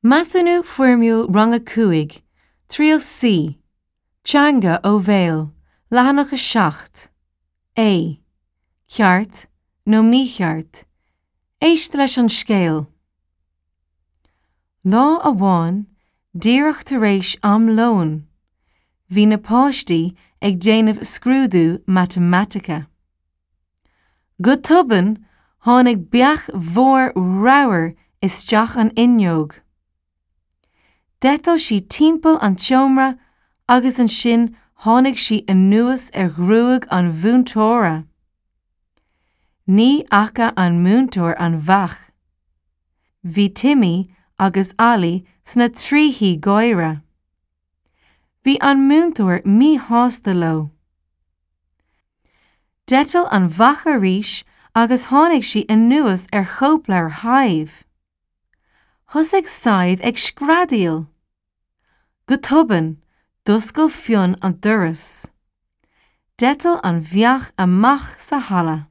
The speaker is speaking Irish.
Measúnú Foirmiúil Rang 5, Triail C, Teanga ó Bhéal, Leathanach 7, A, Ceart nó mícheart? Éist leis an scéal. Lá amháin, díreach tar éis am lóin, bhí na páistí ag déanamh scrúdú matamaitice. Go tobann, tháinig beach mhór ramhar isteach an fhuinneog. D'eitil sí timpeall an tseomra agus ansin tháinig sí anuas ar ghruaig an mhúinteora. Ní fhaca an múinteoir an bheach. Bhí Timmy agus Ollie sna trithí gáire. Bhí an múinteoir míshásta leo. D'eitil an bheach arís agus tháinig sí anuas ar chóipleabhar Shadhbh. Thosaigh Sadhbh ag screadaíl. Go tobann, d'oscail Fionn an doras. D'eitil an bheach amach sa halla.